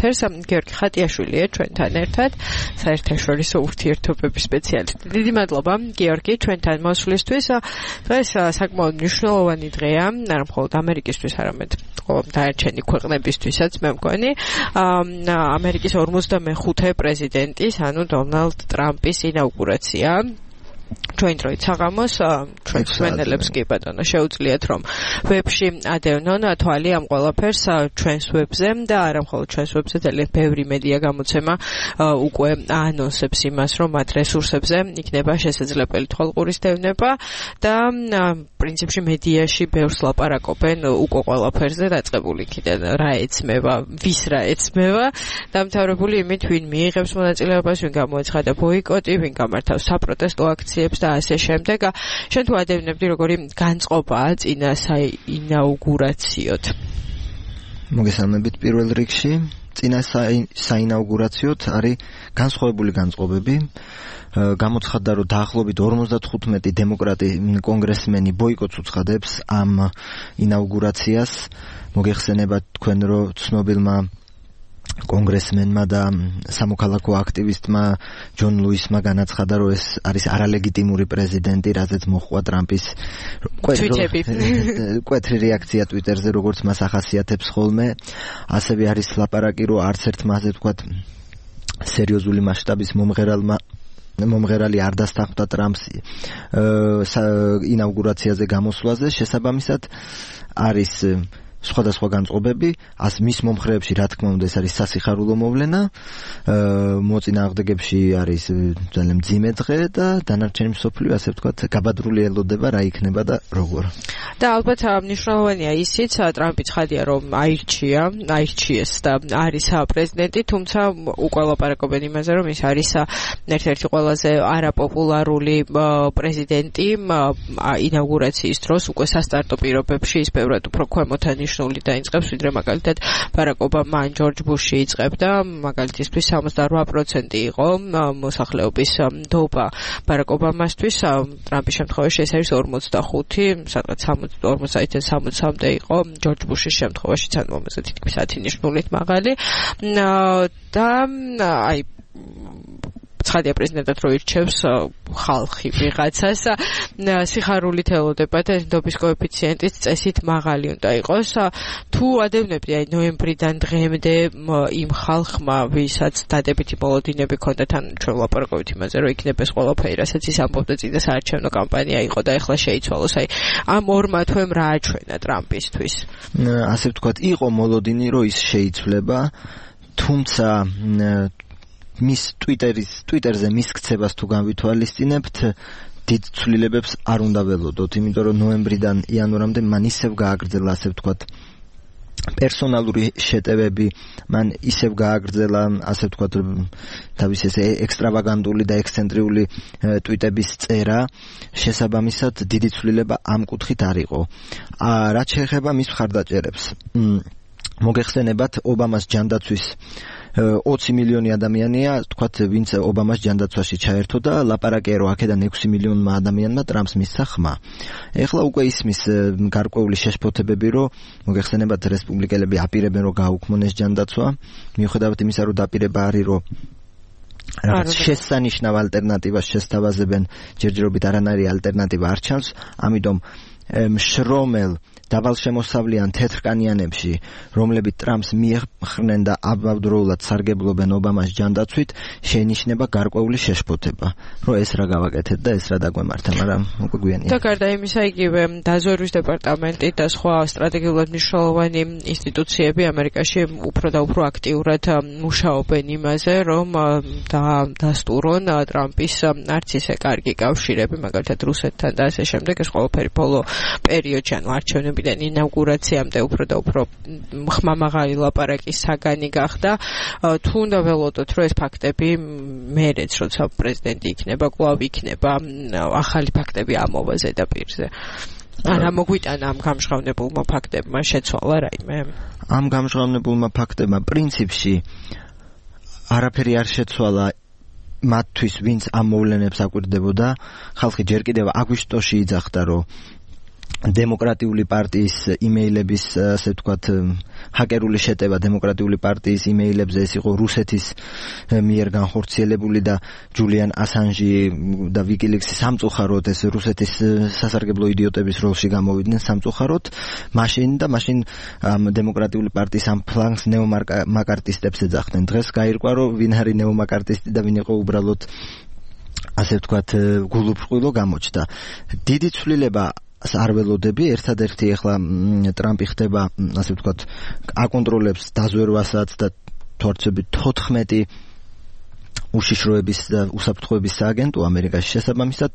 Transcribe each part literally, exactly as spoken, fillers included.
ეთერს. გიორგი ხატიაშვილია ჩვენთან ერთად, საერთაშორისო ურთიერთობების სპეციალისტი. დიდი მადლობა გიორგი ჩვენთან მოსვლისთვის. დღეს საკმაოდ მნიშვნელოვანი დღეა, არა მხოლოდ ამერიკისთვის, არამედ დანარჩენი ქვეყნებისთვისაც, მე მგონი. ამერიკის ორმოცდამეხუთე პრეზიდენტის, ანუ დონალდ ტრამპის ინაუგურაცია. ჩვენ დროით საღამოს ჩვენ მსმენელებს კი ბატონო შეუძლიათ რომ ვებში ადევნონ თვალი ამ ყველაფერს ჩვენს ვებზე და არა მხოლოდ ჩვენს ვებზე, ძალიან ბევრი მედია გამოცემა უკვე აანონსებს იმას, რომ მათ რესურსებზე იქნება შესაძლებელი თვალყურის დევნება და პრინციპში მედიაში ბევრს ლაპარაკობენ უკვე ყველაფერზე დაწყებული იქიდან რა ეცმება, ვის რა ეცმება, დამთავრებული იმით, ვინ მიიღებს მონაწილეობას, ვინ გამოეცხადა ბოიკოტი, ვინ გამართავს საპროტესტო აქციებს და ასე შემდეგ. შენ თუ ადევნებდი როგორი განწყობაა წინა საინაუგურაციოთ? მოგესალმებით პირველ რიგში. წინა საინაუგურაციოთ არის განსხვავებული განწყობები. გამოცხადდა, რომ დაახლოებით ორმოცდათხუთმეტი დემოკრატი კონგრესმენი ბოიკოტს უცხადებს ამ ინაუგურაციას. მოგეხსენებათ თქვენ, რომ ცნობილმა კონგრესმენმა და სამოქალაქო აქტივისტმა ჯონ ლუისმა განაცხადა, რომ ეს არის არალეგიტიმური პრეზიდენტი, რაზეც მოჰყვა ტრამპის მკვეთრი რეაქცია ტვიტერზე, როგორც მას ახასიათებს ხოლმე. ასევე არის ლაპარაკი, რომ არც ერთ მასზე თქვათ სერიოზული მასშტაბის მომღერალმა მომღერალი არ დასთანხმდა ტრამპს ინაუგურაციაზე გამოსვლაზე. შესაბამისად არის სხვადასხვა განწყობები, ას მის მომხრეებში რა თქმა უნდა ეს არის სასიხარულო მოვლენა, მოწინააღმდეგებში არის ძალიან მძიმე დღე და დანარჩენი მსოფლიო ასე ვთქვათ გაბადრული ელოდება რა იქნება და როგორ. და ალბათ მნიშვნელოვანია ისიც, ტრამპი ცხადია რომ აირჩია, აირჩიეს და არის პრეზიდენტი, თუმცა უკვე ლაპარაკობენ იმაზე, რომ ის არის ერთ-ერთი ყველაზე არაპოპულარული პრეზიდენტი ინაუგურაციის დროს, უკვე სასტარტო პირობებში ის ბევრად უფრო ქვემოთანი ნიშნული დაიწყებს, ვიდრე მაგალითად ბარაკ ობამა ან ჯორჯ ბუში იწყებდა. მაგალითისთვის სამოცდაოთხ პროცენტი იყო მოსახლეობის ნდობა ბარაკ ობამასთვის, ტრამპის შემთხვევაში ეს არის ორმოცდახუთი, სადღაც ორმოცდაათიდან სამოცამდე იყო ჯორჯ ბუშის შემთხვევაშიც, ანუ ამაზე თითქმის ათი ნიშნულით მაღალი. და აი ცხადია პრეზიდენტად რო ირჩევს ხალხი ვიღაცას, სიხარულით ელოდება და ნდობის კოეფიციენტის წესით მაღალი უნდა იყოს. თუ ადევნებდი აი ნოემბრიდან დღემდე იმ ხალხმა, ვისაც დადებითი მოლოდინები ჰქონდათ, ან ჩვენ ვლაპარაკობთ იმაზე, რომ იქნება ეს ყველაფერი, რასაც ის ამბობდა წინა საარჩევნო კამპანია იყო და ეხლა შეიცვალოს. აი ამ ორმა თვემ რა აჩვენა ტრამპისთვის? ასე ვთქვათ, იყო მოლოდინი, რომ ის შეიცვლება, თუმცა მის ტვიტერის ტვიტერზე მის ქცებას თუ განვითვალისწინებთ, დიდ ცვლილებებს არ უნდა ველოდოთ, იმიტომ რომ ნოემბრიდან იანვრამდე მან ისევ გააგრძელა, ასე ვთქვათ, პერსონალური შეტევები, მან ისევ გააგრძელა, ასე ვთქვათ, თავის ეს ექსტრავაგანტული და ექსცენტრიული ტვიტების წერა. შესაბამისად, დიდი ცვლილება ამ კუთხით არ იყო. რაც შეეხება მის მხარდაჭერებს, მოგეხსენებათ, ობამას ჯანდაცვის ოცი მილიონი ადამიანია, თქვათ, ვინც ობამას ჯანდაცვაში ჩაერთო და ლაპარაკია, რომ აქედან ექვსი მილიონმა ადამიანმა ტრამპს მისცა ხმა. ეხლა უკვე ისმის გარკვეული შეშფოთებები, რომ მოგეხსენებათ, რესპუბლიკელები აპირებენ, რომ გააუქმონ ეს ჯანდაცვა, მიუხედავად იმისა, რომ დაპირება არის, რომ რაღაც შესანიშნავ ალტერნატივას შესთავაზებენ, ჯერჯერობით არანაირი ალტერნატივა არ ჩანს, ამიტომ მშრომელ დავალშემოსავლიან თეთრკანიანებში, რომლებიც ტრამპს მიეხრნენ და აბავდროულად სარგებლობენ ობამას ჯანდაცვით, შეინიშნება გარკვეული შეშფოთება, რომ ეს რა გავაკეთეთ და ეს რა დაგვემართა, მაგრამ უკვე გვიანია. და გარდა იმისა, იგივე დაზვერვის დეპარტამენტი და სხვა სტრატეგიულად მნიშვნელოვანი ინსტიტუციები ამერიკაში უფრო და უფრო აქტიურად მუშაობენ იმაზე, რომ დასტურონ ტრამპის არც ისე კარგი კავშირები, მაგალითად რუსეთთან და ასე შემდეგ. ეს ყველაფერი ბოლო პერიოდში, ანუ არჩევნები ინაუგურაციამდე უფრო და უფრო ხმამაღალი ლაპარაკის საგანი გახდა. თუ უნდა ველოდოთ, რომ ეს ფაქტები მერეც, როცა პრეზიდენტი იქნება, კვლავ იქნება ახალი ფაქტები ამოვა ზედაპირზე. არა მოგვიტანა ამ გამჟღავნებულმა ფაქტებმა შეცვალა რაიმე? ამ გამჟღავნებულმა ფაქტებმა პრინციპში არაფერი არ შეცვალა მათთვის, ვინც ამ მოვლენებს აკვირდებოდა. ხალხი ჯერ კიდევ აგვისტოში იძახდა, რომ დემოკრატიული პარტიის იმეილების, ასე ვთქვათ, ჰაკერული შეტევა დემოკრატიული პარტიის იმეილებზე, ეს იყო რუსეთის მიერ განხორციელებული და ჯულიან ასანჟი და ვიკილიქსი სამწუხაროდ ეს რუსეთის სასარგებლო იდიოტების როლში გამოვიდნენ სამწუხაროდ, მაშინ და მაშინ ამ დემოკრატიული პარტიის ამ ფლანგს ნეომაკარტისტებს ეძახდნენ. დღეს გაირკვა, რომ ვინ არის ნეომაკარტისტი და ვინ იყო უბრალოდ, ასე ვთქვათ, გულუბრყვილო გამოჩნდა. დიდი ცვლილება არ ველოდები, ერთადერთი ახლა ტრამპი ხდება, ასე ვთქვათ, აკონტროლებს დაზვერვასაც და თორცები თოთხმეტი უშიშროების და უსაფრთხოების სააგენტო ამერიკაში შესაბამისად,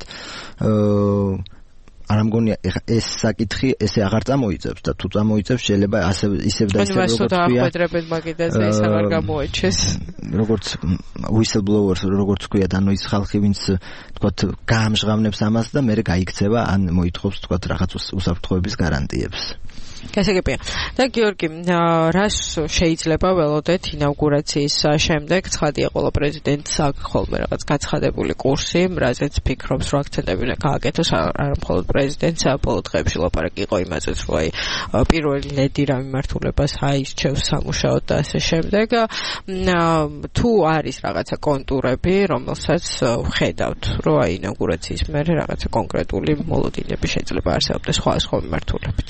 არ ამგონია ეს საკითხი ესე აღარ წამოიწევს და თუ წამოიწევს შეიძლება ასე ისევ და ისევ როგორც ქვია ახვედრებენ მაგიდაზე ეს აღარ გამოეჩეს როგორც whistleblowers როგორც ქვია ანუ ის ხალხი ვინც თქვათ გაამჟღავნებს ამას და მე გაიქცევა ან მოითხოვს თქვათ რაღაც უსაფრთხოების გარანტიებს. გასაგებია. და გიორგი, რას შეიძლება ველოდეთ ინაუგურაციის შემდეგ? ცხადია, ყველა პრეზიდენტს აქვს ხოლმე რაღაც გაცხადებული კურსი, რაზეც ფიქრობს, რომ აქცენტები გააკეთოს, არა მხოლოდ პრეზიდენტს, ბოლო დღეებში ლაპარაკი იყო იმაზეც, რომ აი პირველი ლედი რა მიმართულებას აირჩევს სამუშაოდ და ასე შემდეგ. თუ არის რაღაცა კონტურები, რომელსაც ვხედავთ, რომ აი ინაუგურაციის მერე რაღაცა კონკრეტული მოლოდინები შეიძლება არსებობდეს სხვა სხვა მიმართულებით.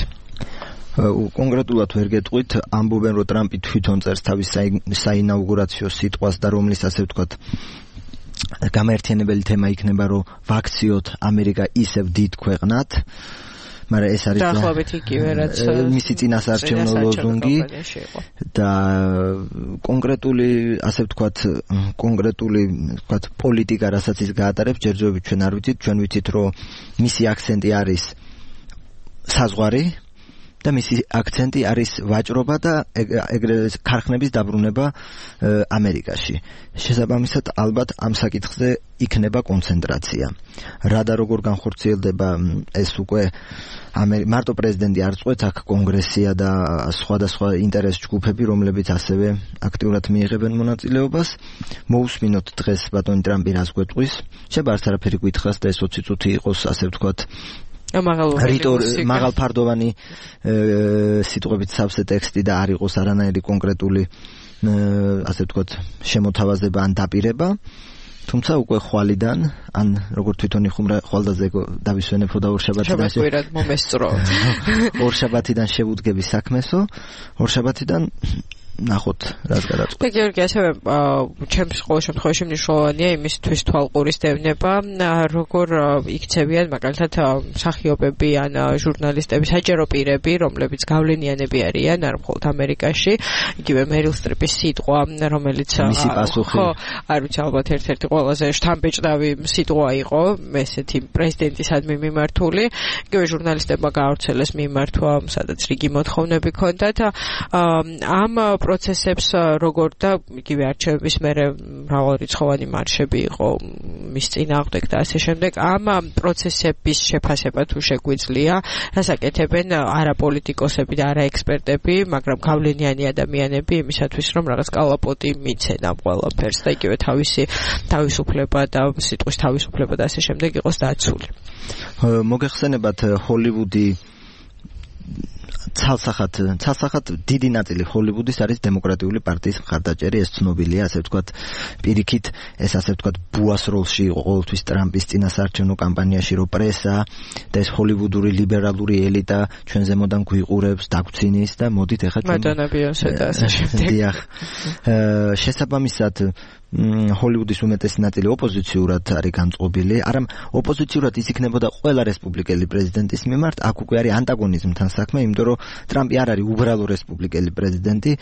კონკრეტულად ვერ გეტყვით, ამბობენ, რომ ტრამპი თვითონ წერს თავის საინაუგურაციო სიტყვას და რომლის ასე ვთქვათ გამაერთიანებელი თემა იქნება, რომ ვაქციოთ ამერიკა ისევ დიდ ქვეყნად, მაგრამ ეს არის დაახლოებით იგივე რაც მისი წინასაარჩევნო ლოზუნგი და კონკრეტული ასე ვთქვათ კონკრეტული ვთქვათ პოლიტიკა, რასაც ის გაატარებს, ჯერჯერობით ჩვენ არ ვიცით, ჩვენ ვიცით, რომ მისი აქცენტი არის საზღვარი და მისი აქცენტი არის ვაჭრობა და ეგრეთ ქარხნების დაბრუნება ამერიკაში. შესაბამისად, ალბათ ამ საკითხზე იქნება კონცენტრაცია. რა და როგორ განხორციელდება ეს უკვე მარტო პრეზიდენტი არ წყვეტს, აქ კონგრესია და სხვადასხვა ინტერეს ჯგუფები, რომლებიც ასევე აქტიურად მიიღებენ მონაწილეობას. მოусმინოთ დღეს ბატონი ტრამპი რას გვეტყვის. შეიძლება არც არაფერი გითხრას და ეს ოცი წუთი იყოს, ასე ვთქვათ, მაღალფარდოვანი სიტყვებით სავსე ტექსტი და არ იყოს არანაირი კონკრეტული ასე ვთქვათ შემოთავაზება ან დაპირება. თუმცა უკვე ხვალიდან ან როგორ თვითონ იხუმრა ხვალდაზე დავისვენებო და ორშაბათიდან შევეკვირად მომესწრო. ორშაბათიდან შევუდგები საქმესო, ორშაბათიდან ნახოთ რას გადაწყვეტ. და გიორგი, ასევე ჩემს ყოველ შემთხვევაში მნიშვნელოვანია იმისთვის თვალყურის დევნება, როგორ იქცევიან მაგალითად მსახიობები ან ჟურნალისტები, საჯარო პირები, რომლებიც გავლენიანები არიან არ მხოლოდ ამერიკაში, იგივე მერილ სტრიპის სიტყვა, რომელიც მისი პასუხი, ხო, არ ვიცი, ალბათ ერთ-ერთი ყველაზე შთამბეჭდავი სიტყვა იყო ესეთი პრეზიდენტისადმი მიმართული, იგივე ჟურნალისტებმა გაავრცელეს მიმართვა, სადაც რიგი მოთხოვნები ჰქონდათ. ამ პროცესებს როგორ და იგივე არჩევნების მერე მრავალრიცხოვანი მარშები იყო მის წინააღმდეგ და ასე შემდეგ. ამ პროცესების შეფასება თუ შეგვიძლია, რას აკეთებენ არა პოლიტიკოსები და არა ექსპერტები, მაგრამ გავლენიანი ადამიანები იმისათვის, რომ რაღაც კალაპოტი მიცენ ამ ყველაფერს და იგივე თავისი თავისუფლება და სიტყვის თავისუფლება და ასე შემდეგ იყოს დაცული. მოგეხსენებათ ჰოლივუდი ცალსახად ცალსახად დიდი ნაწილი ჰოლივუდის არის დემოკრატიული პარტიის მხარდაჭერი, ეს ცნობილია, ასე ვთქვათ, პირიქით ეს ასე ვთქვათ ბუას როლში იყო ყოველთვის ტრამპის წინასაარჩევნო კამპანიაში, რომ პრესა და ეს ჰოლივუდური ლიბერალური ელიტა ჩვენ ზემოდან გვიყურებს, დაგვცინის და მოდით ეხლა ჩვენ მადონა ბიონსე და ასე შემდეგ. დიახ. შესაბამისად ჰოლივუდის უმეტესი ნაწილი ოპოზიციურად არის განწყობილი, არამ ოპოზიციურად ის იქნებოდა ყველა რესპუბლიკელი პრეზიდენტის მიმართ, აქ უკვე არის ანტაგონიზმთან საქმე, იმიტომ რომ ტრამპი არ არის უბრალო რესპუბლიკელი პრეზიდენტი,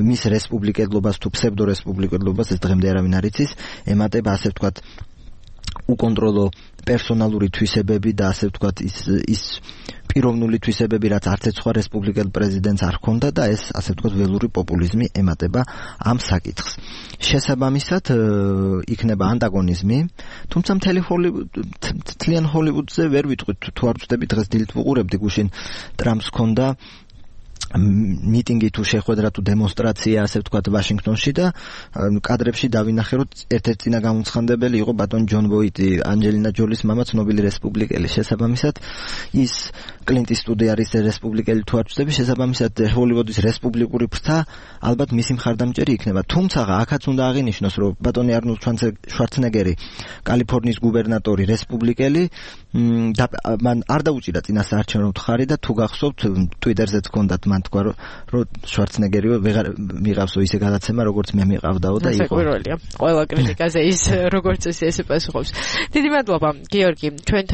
მის რესპუბლიკელობას თუ ფსევდორესპუბლიკელობას ეს დღემდე არავინ არ იცის, ემატება ასე ვთქვათ უკონტროლო პერსონალური თვისებები და ასე ვთქვათ ის ის პიროვნული თვისებები, რაც არც ერთ სხვა რესპუბლიკელ პრეზიდენტს არ ჰქონდა და ეს ასე ვთქვათ ველური პოპულიზმი ემატება ამ საკითხს. შესაბამისად იქნება ანტაგონიზმი, თუმცა მთელი თლიან ჰოლივუდზე ვერ ვიტყვით, თუ არ ვწდები დღეს დილით ვუყურებდი გუშინ ტრამპს ჰქონდა მიტინგი თუ შეხვედრა თუ დემონსტრაცია ასე ვთქვათ ვაშინგტონში და კადრებში დავინახე, რომ ერთ-ერთი წინა გამომცხადებელი იყო ბატონ ჯონ ვოიტი, ანჯელინა ჯოლის მამა, ცნობილი რესპუბლიკელი. შესაბამისად ის კლინტ ისტვუდი არის რესპუბლიკელი თუ არ ვწდები, შესაბამისად ჰოლივუდის რესპუბლიკური ფრთა ალბათ მისი მხარდამჭერი იქნება. თუმცა აქაც უნდა აღინიშნოს, რომ ბატონი არნოლდ შვარცენეგერი, კალიფორნიის გუბერნატორი, რესპუბლიკელი, და მან არ დაუჭირა წინასაარჩევნო ხარი და თუ გახსოვთ, ტვიტერზეც ჰქონდათ მან თქვა, რომ შვარცენეგერი ვეღარ მიყავსო ისე გადაცემა, როგორც მე მიყავდაო და იყო. საკვირველია. ყველა კრიტიკაზე ის როგორც ესე პასუხობს. დიდი მადლობა, გიორგი, ჩვენთან